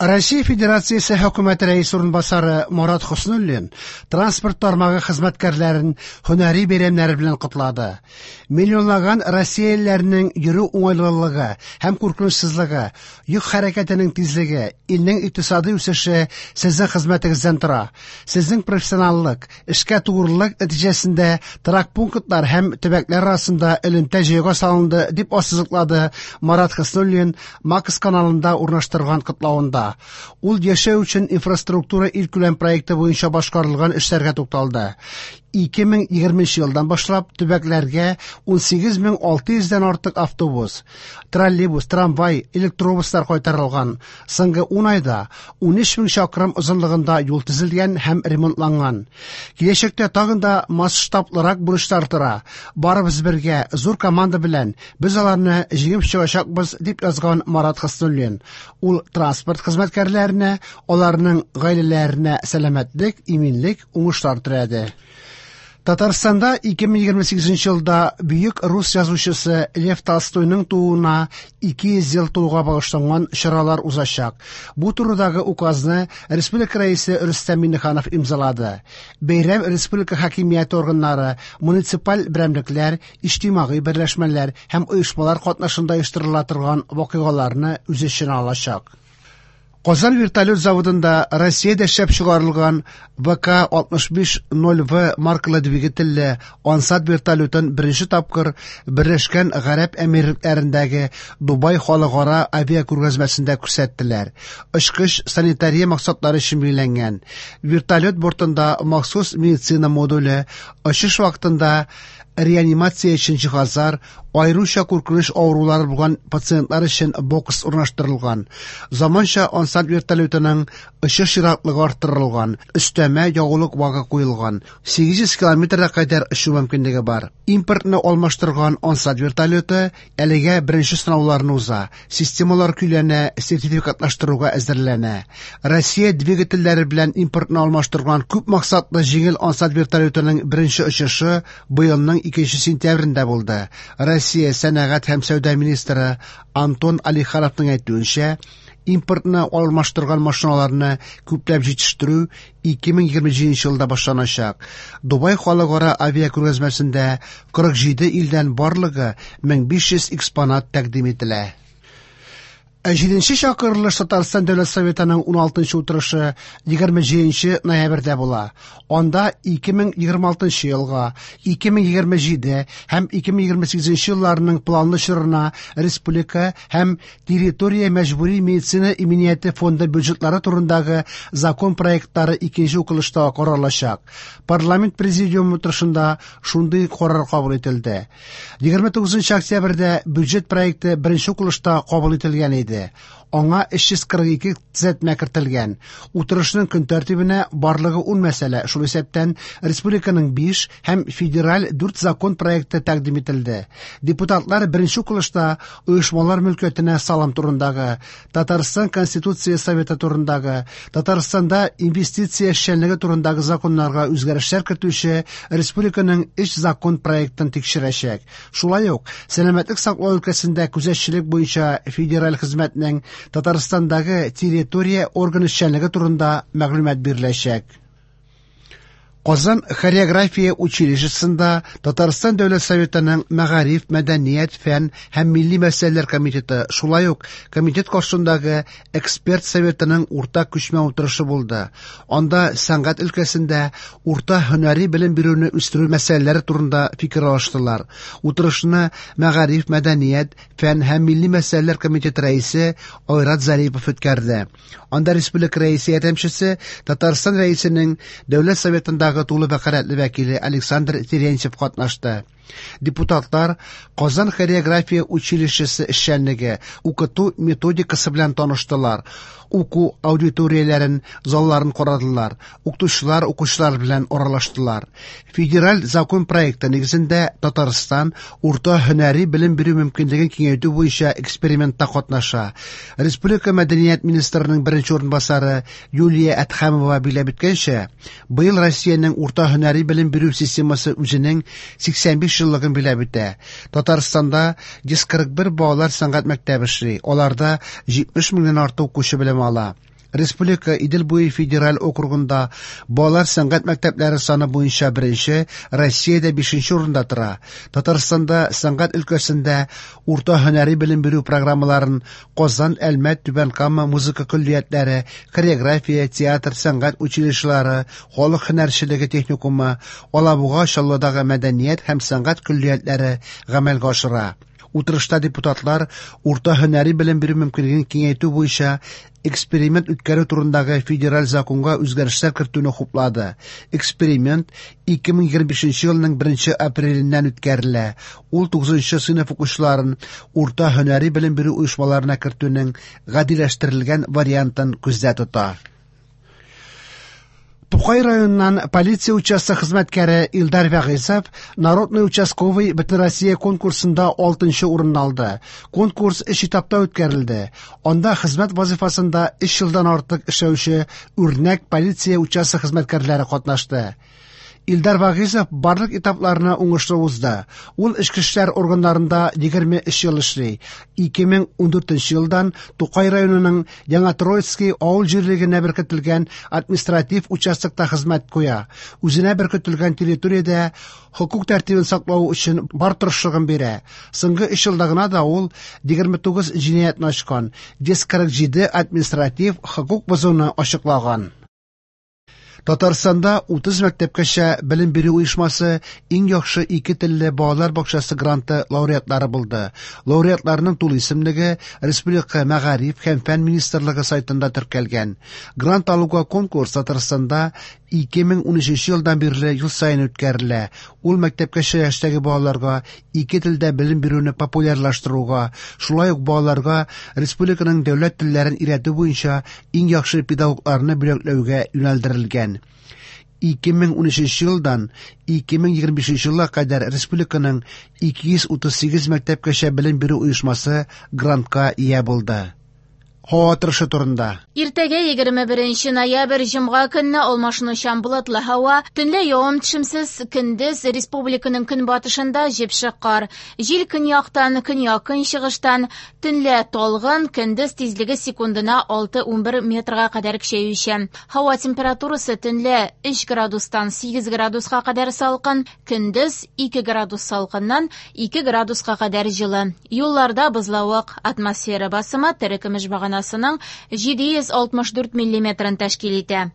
Россия Федерациясе Хөкүмәте Рәисе урынбасары Марат Хөснуллин транспорт тармагы хезмәткәрләрен һөнәри бәйрәмнәре белән котлады. Миллионлаган россиялеләрнең йөрү уңайлылыгы һәм куркынычсызлыгы, йөк хәрәкәтенең тизлеге, илнең икътисади үсеше сезнең хезмәтегездән тора. Сезнең профессионаллык, эшкә тугрылык нәтиҗәсендә торак пунктлар һәм төбәкләр арасында элемтә җайга салынды, дип ассызыклады Марат Хөснуллин Макс каналында урнаштырган котлавында. Ул яшәү өчен инфраструктура илкүләм проекты буенча башкарылган эшләргә тукталды. 2020 елдан башлап төбәкләргә 18600 дән артык автобус, троллейбус, трамвай, электробуслар кайтарылган. Соңгы 10 айда 13 мең чакрым озынлыгында юл төзелгән һәм ремонтланган. Киләчәктә тагын да масштаблырак бурычлар тора. Барыбыз бергә, зур команда белән без аларны җиңеп чыгачакбыз, дип язган Марат Хөснуллин. Ул транспорт хезмәткәрләренә, аларның гаиләләренә сәламәтлек, иминлек, уңышлар теләде. Татарстанда 2028 елда бөек рус язучысы Лев Толстойның тууына 200 ел тулуга багышланган чаралар узачак. Бу турыдагы указны республика рәисе Рөстәм Миңнеханов имзалады. Бәйрәм республика хакимияте органнары, муниципаль берәмлекләр, иҗтимагый берләшмәләр һәм оешмалар катнашында оештырыла торган вакыйгаларны үз эченә алачак. Казан вертолет заводында Россиядә эшләп чыгарылган ВК-65-0В маркалы двигательле Ансат вертолетын беренче тапкыр Берләшкән Гарәп Әмирлекләрендәге Дубай халыкара авиакүргәзмәсендә күрсәттеләр. Очкыч санитария максатлары өчен билгеләнгән. Вертолет бортында махсус медицина модуле, очыш вакытында реанимация өчен җиһазлар, аеруча куркыныч авырулары булган пациентлар өчен бокс урнаштырылган. Заманча Ансат вертолетының очыш ераклыгы арттырылган, өстәмә ягулык багы куелган, 800 километрга кадәр очу мөмкинлеге бар. Импортны алмаштырган Ансат вертолеты әлегә беренче сынауларны уза, системалар көйләнә, сертификатлаштыруга әзерләнә. Россия двигательләре белән импортны алмаштырган күп максатлы җиңел Ансат вертолетының беренче очышы быелның 2 сентябрендә булды. Россия сәнәгать һәм сәүдә министры Антон Алихановның әйтүенчә, импортны алмаштырган машиналарны күпләп җитештерү 2027 елда башланачак. Дубай халыкара авиакүргәзмәсендә 47 илдән барлыгы 1500 экспонат тәкъдим ителә. Ә җиденче чакырылыш Татарстан Дәүләт Советының 16 утырышы 27 ноябрьдә була. Анда 2026 елга, 2027 һәм 2028 елларының планлы чорына республика һәм территория мәҗбүри медицина иминияте фонды бюджетлары турындагы закон проектлары икенче укылышта каралачак. Парламент президиумы утырышында шундый карар кабул ителде. 29 октябрьдә бюджет проекты беренче укылышта кабул ителгән иде. Аңа 342 төзәтмә кертелгән. Утырышның көн тәртибенә барлыгы 10 мәсьәлә, шул исәптән республиканың 5 һәм федераль 4 закон проекты тәкъдим ителде. Депутатлар беренче укылышта оешмалар мөлкәтенә салым турындагы, Татарстан Конституция Советы турындагы, Татарстанда инвестиция эшчәнлеге турындагы законнарга үзгәрешләр кертүче республиканың 3 закон проектын тикшерәчәк. Шулай ук сәламәтлек саклау өлкәсендә күзәтчелек буенча федераль хезмәтнең Татарстандагы территория органы эшчәнлеге турында мәгълүмат биреләчәк. Казан хореография училищесында Татарстан Дәүләт Советының Мәгариф, мәдәният, фән һәм милли мәсьәләләр комитеты, шулай ук комитет каршындагы эксперт советының уртак күчмә утырышы булды. Анда сәнгать өлкәсендә урта һөнәри белем бирүне үстерү мәсьәләләре турында фикер алыштылар. Утырышны Мәгариф, мәдәният, фән һәм милли мәсьәләләр комитеты рәисе Айрат Зарипов үткәрде. Анда республика рәисе ярдәмчесе Татарстан рәисенең Дәүләт Советындагы тулы вәкаләтле вәкиле Александр Терентьев катнашты. Депутатлар Казан хореография училищесы эшчәнлеге, укыту методикасы белән таныштылар, уку аудиторияләрен, залларын карадылар, укытучылар укучылар белән аралаштылар. Федераль закон проекты нигезендә Татарстан урта һөнәри белем бирү мөмкинлеген киңәйтү буенча экспериментта катнаша. Республика мәдәният министрының беренче урынбасары Юлия Әдһәмова билгеләп үткәнчә, быел Россиянең урта һөнәри белем бирү системасы үзенең 85 еллыгын билгеләп үтә. Татарстанда 141 балалар сәнгать мәктәбе эшли. Аларда 70 меңнән артык укучы белем ала. Республика Идел буе федераль округында балалар сәнгать мәктәпләре саны буенча беренче, Россиядә бишенче урында тора. Татарстанда сәнгать өлкәсендә урта һөнәри белем бирү программаларын Казан, Әлмәт, Түбән Кама музыка көллиятләре, хореография, театр, сәнгать училищелары, халык һөнәрчелеге техникумы, Алабуга, Чаллыдагы мәдәният һәм сәнгать көллиятләре гамәлгә ашыра. Утырышта депутатлар урта һөнәри белем бирү мөмкинлеген киңәйтү буенча эксперимент үткәрү турындагы федераль законга үзгәрешләр кертүне хуплады. Эксперимент 2025 елның 1 апреленнән үткәрелә. Ул 9 сыйныф укучыларын урта һөнәри белем бирү оешмаларына кертүнең гадиләштерелгән вариантын күздә тота. Тукай районыннан полиция участок хезмәткәре Илдар Вәгыйзов Народный участковый Бөтенроссия конкурсында 6 урынны алды. Конкурс өч этапта үткәрелде. Анда хезмәт вазифасында 3 елдан артык эшләүче үрнәк полиция участок хезмәткәрләре катнашты. Илдар Вагизов барлык этапларны уңышлы узды. Ул эчке эшләр органнарында 23 ел эшли. 2014 елдан Тукай районының Яңа Троицкий авыл җирлегенә беркетелгән административ участокта хезмәт куя. Үзенә беркетелгән территориядә хокук тәртибен саклау өчен бар тырышлыгын бирә. Соңгы 3 елда гына да ул 29 җинаятьне ачкан, 147 административ хокук бозуны ачыклаган. Татарстанда 30 мәктәпкәчә белем бирү оешмасы иң яхшы ике телле балалар бакчасы гранты лауреатлары булды. Лауреатларның тулы исемлеге Республика мәгариф һәм фән министрлыгы сайтында теркәлгән. Грант алуга конкурс Татарстанда 2013 елдан бирле ел саен үткәрелә. Ул мәктәпкәчә яшьтәге балаларга ике телдә белем бирүне популярлаштыруга, шулай ук балаларга республиканың дәүләт телләрен өйрәтү буенча иң яхшы педагогларны бүләкләүгә юнәлдерелгән. 2013 елдан 2025 елга кадәр республиканың 238 мәктәпкәчә белем бирү оешмасы грантка ия булды. Һава торышы турында. Иртәгә 21 ноябрь җомга көнне алмашынучан болытлы һава, төнлә явым-төшемсез, көндез республиканың көнбатышында җепшек кар. Җил көньяктан, көньяк-көнчыгыштан, төнлә талгын, көндез тизлеге секундына 6-11 метрга кадәр көчәючән. Һава температурасы төнлә 3 градустан 8 градуска кадәр салкын, көндез 2 градус салкыннан 2 градуска кадәр җылы. Юлларда бозлавык, атмосфера басымы терекөмеш баганасының 764 миллиметрын тәшкил итә.